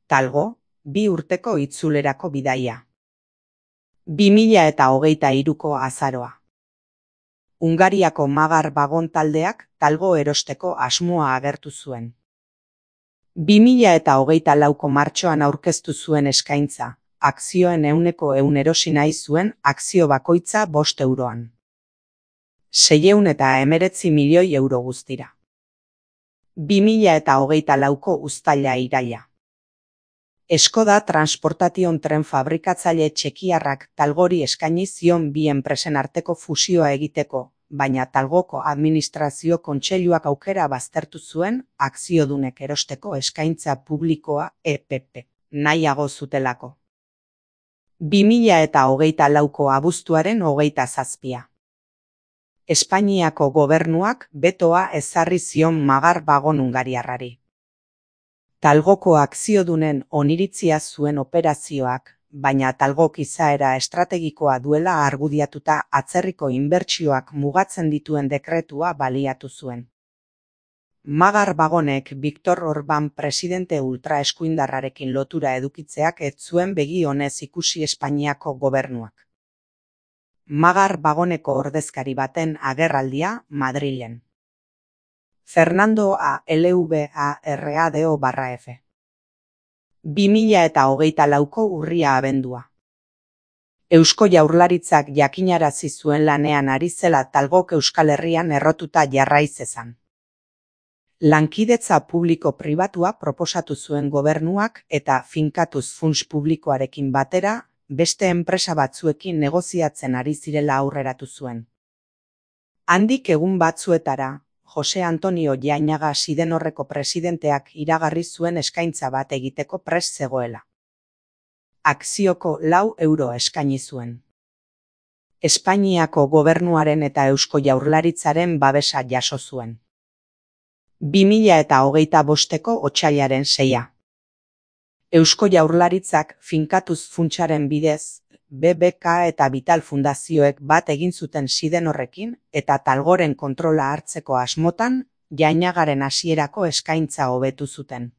Talgo, 2 urteko itzulerako bidaia. 2023ko azaroa. Hungariako Magar Bagon taldeak talgo erosteko asmoa agertu zuen. 2024ko martxoan aurkeztu zuen eskaintza, akzioen 100% erosi nahi zuen akzio bakoitza 5 euroan. 619 milioi euro guztira. 2024ko uztaila-iraila. Skoda Transportation tren fabrikatzaile txekiarrak Talgori eskaini zion bi enpresen arteko fusioa egiteko, baina Talgoko administrazio kontseiluak aukera baztertu zuen akziodunek erosteko eskaintza publikoa EPP nahiago zutelako. 2024ko abuztuaren 27. Espainiako gobernuak betoa ezarri zion Magar Bagon hungariarrari. Talgoko akziodunen oniritzia zuen operazioak, baina Talgok izaera estrategikoa duela argudiatuta atzerriko inbertsioak mugatzen dituen dekretua baliatu zuen. Magar Bagonek Viktor Orban presidente ultraeskuindarrarekin lotura edukitzeak ez zuen begi onez ikusi Espainiako gobernuak. Magar Bagoneko ordezkari baten agerraldia Madrilen. Fernando Alvarado/F. 2024ko urria abendua. Eusko Jaurlaritzak jakinarazi zuen lanean ari zela Talgok Euskal Herrian errotuta jarrai zezan. Lankidetza publiko-pribatua proposatu zuen gobernuak eta finkatuz funts publikoarekin batera, beste enpresa batzuekin negoziatzen ari zirela aurreratu zuen. Handik egun batzuetara, Jose Antonio Jainaga Sidenorreko presidenteak iragarri zuen eskaintza bat egiteko prest zegoela. Akzioko 4 euro eskaini zuen. Espainiako gobernuaren eta Eusko Jaurlaritzaren babesa jaso zuen. 2025ko otsailaren 6. Eusko Jaurlaritzak finkatuz funtsaren bidez, BBK eta Vital fundazioek bat egin zuten Sidenorrekin eta Talgoren kontrola hartzeko asmotan, Jainagaren hasierako eskaintza hobetu zuten.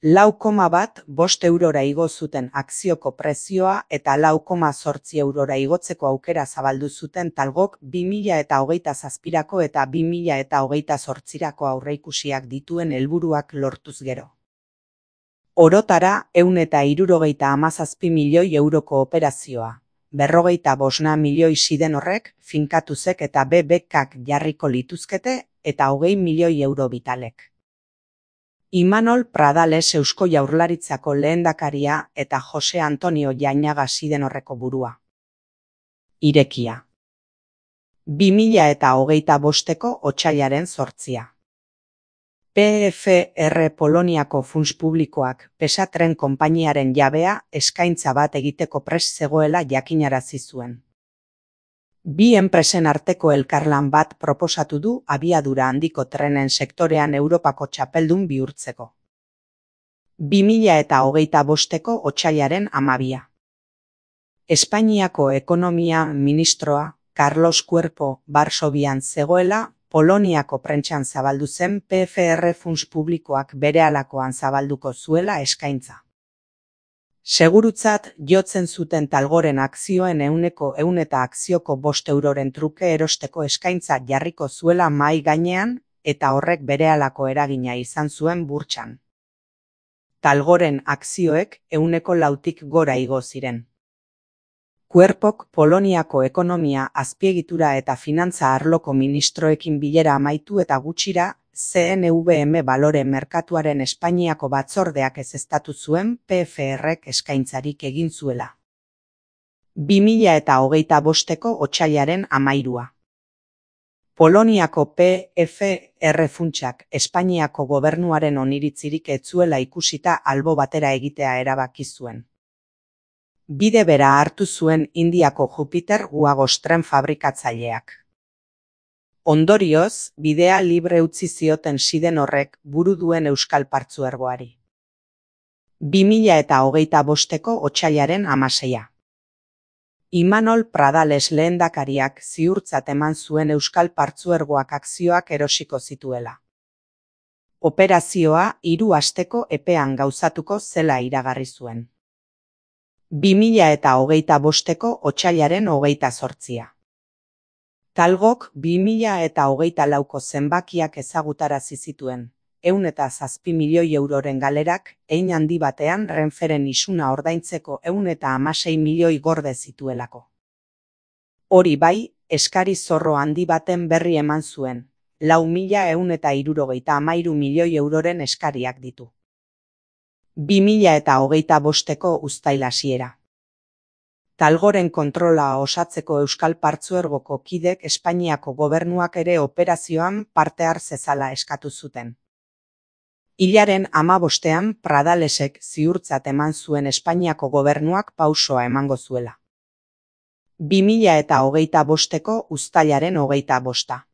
4,5 eurora igo zuten akzioko prezioa eta 4,8 eurora igotzeko aukera zabaldu zuten Talgok 2027ko eta 2028ko aurreikusiak dituen helburuak lortuz gero. Orotara 177 milioi euroko operazioa, 55 milioi Sidenorrek, finkatuzek eta BBKak jarriko lituzkete eta 20 milioi euro Vitalek. Imanol Pradales Eusko Jaurlaritzako lehendakaria eta Jose Antonio Jainaga Sidenorreko burua. Irekia. 2025ko otsailaren 8. PFR Poloniako funts publikoak PESA tren konpainiaren jabea eskaintza bat egiteko prest zegoela jakinarazi zuen. Bi enpresen arteko elkarlan bat proposatu du abiadura handiko trenen sektorean Europako txapeldun bihurtzeko. 2025ko otsailaren 12. Espainiako ekonomia ministroa Carlos Cuerpo Varsovian zegoela Poloniako prentsan zabaldu zen PFR funts publikoak berehalakoan zabalduko zuela eskaintza. Segurutzat jotzen zuten Talgoren akzioen 100% eta akzioko 5 euroren truke erosteko eskaintza jarriko zuela mahai gainean eta horrek berehalako eragina izan zuen burtsan. Talgoren akzioek 4%tik gora igo ziren. Cuerpok Poloniako ekonomia, azpiegitura eta finantza arloko ministroekin bilera amaitu eta gutxira, CNVM balore merkatuaren Espainiako batzordeak ezeztatu zuen PFRek eskaintzarik egin zuela. 2025ko otsailaren 13. Poloniako PFR funtsak Espainiako gobernuaren oniritzirik ez zuela ikusita albo batera egitea erabaki zuen. Bide bera hartu zuen Indiako Jupiter Guagos tren fabrikatzaileak. Ondorioz, bidea libre utzi zioten Sidenorrek buru duen Euskal Partzuergoari. 2025ko otsailaren 16. Imanol Pradales lehendakariak ziurtzat eman zuen Euskal Partzuergoak akzioak erosiko zituela. Operazioa 3 asteko epean gauzatuko zela iragarri zuen. 2025ko otsailaren 28. Talgok 2024ko zenbakiak ezagutarazi zituen, 107 milioi euroren galerak, hein handi batean Renferen isuna ordaintzeko 116 milioi gorde zituelako. Hori bai, eskari zorro handi baten berri eman zuen, 4.173 milioi euroren eskariak ditu. 2025ko uztail hasiera. Talgoren kontrola osatzeko Euskal Partzuergoko kidek Espainiako gobernuak ere operazioan parte har zezala eskatu zuten. Hilaren 15ean Pradalesek ziurtzat eman zuen Espainiako gobernuak pausoa emango zuela. 2025ko uztailaren 25.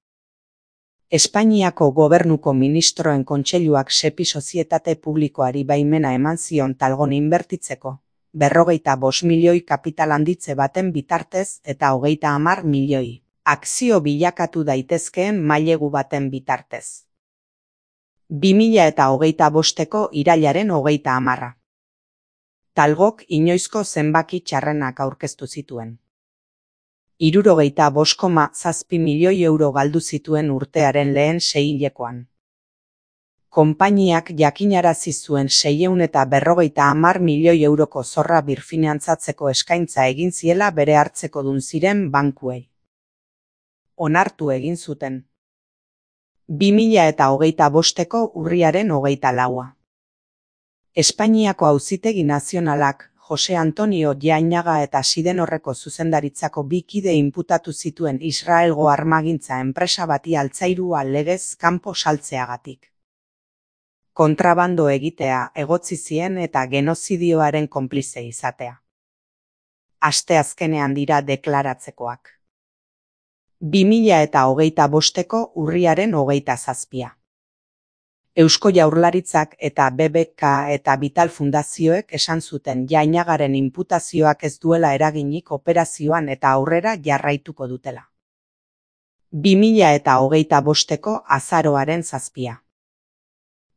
Espainiako gobernuko ministroen kontseiluak Sepi sozietate publikoari baimena eman zion Talgon inbertitzeko, 55 milioi kapital handitze baten bitartez eta 30 milioi akzio bilakatu daitezkeen mailegu baten bitartez. 2025ko irailaren 30. Talgok inoizko zenbaki txarrenak aurkeztu zituen. 65,7 milioi euro galdu zituen urtearen lehen seihilekoan. Konpainiak jakinarazi zuen 650 milioi euroko zorra birfinantzatzeko eskaintza egin ziela bere hartzekodun ziren bankuei. Onartu egin zuten. 2025ko urriaren 24. Espainiako Auzitegi Nazionalak Jose Antonio Jainaga eta Sidenorreko zuzendaritzako 2 kide inputatu zituen Israelgo armagintza enpresa bati altzairua legez kanpo saltzeagatik. Kontrabando egitea egotzi zien eta genozidioaren konplize izatea. Asteazkenean dira deklaratzekoak. 2025ko urriaren 27. Eusko Jaurlaritzak eta BBK eta Vital Fundazioek esan zuten Jainagaren inputazioak ez duela eraginik operazioan eta aurrera jarraituko dutela. 2025ko azaroaren 7.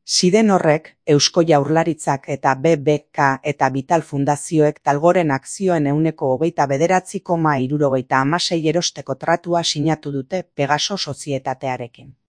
Sidenorrek, Eusko Jaurlaritzak eta BBK eta Vital Fundazioek Talgoren akzioen 29,76% erosteko tratua sinatu dute Pegaso sozietatearekin.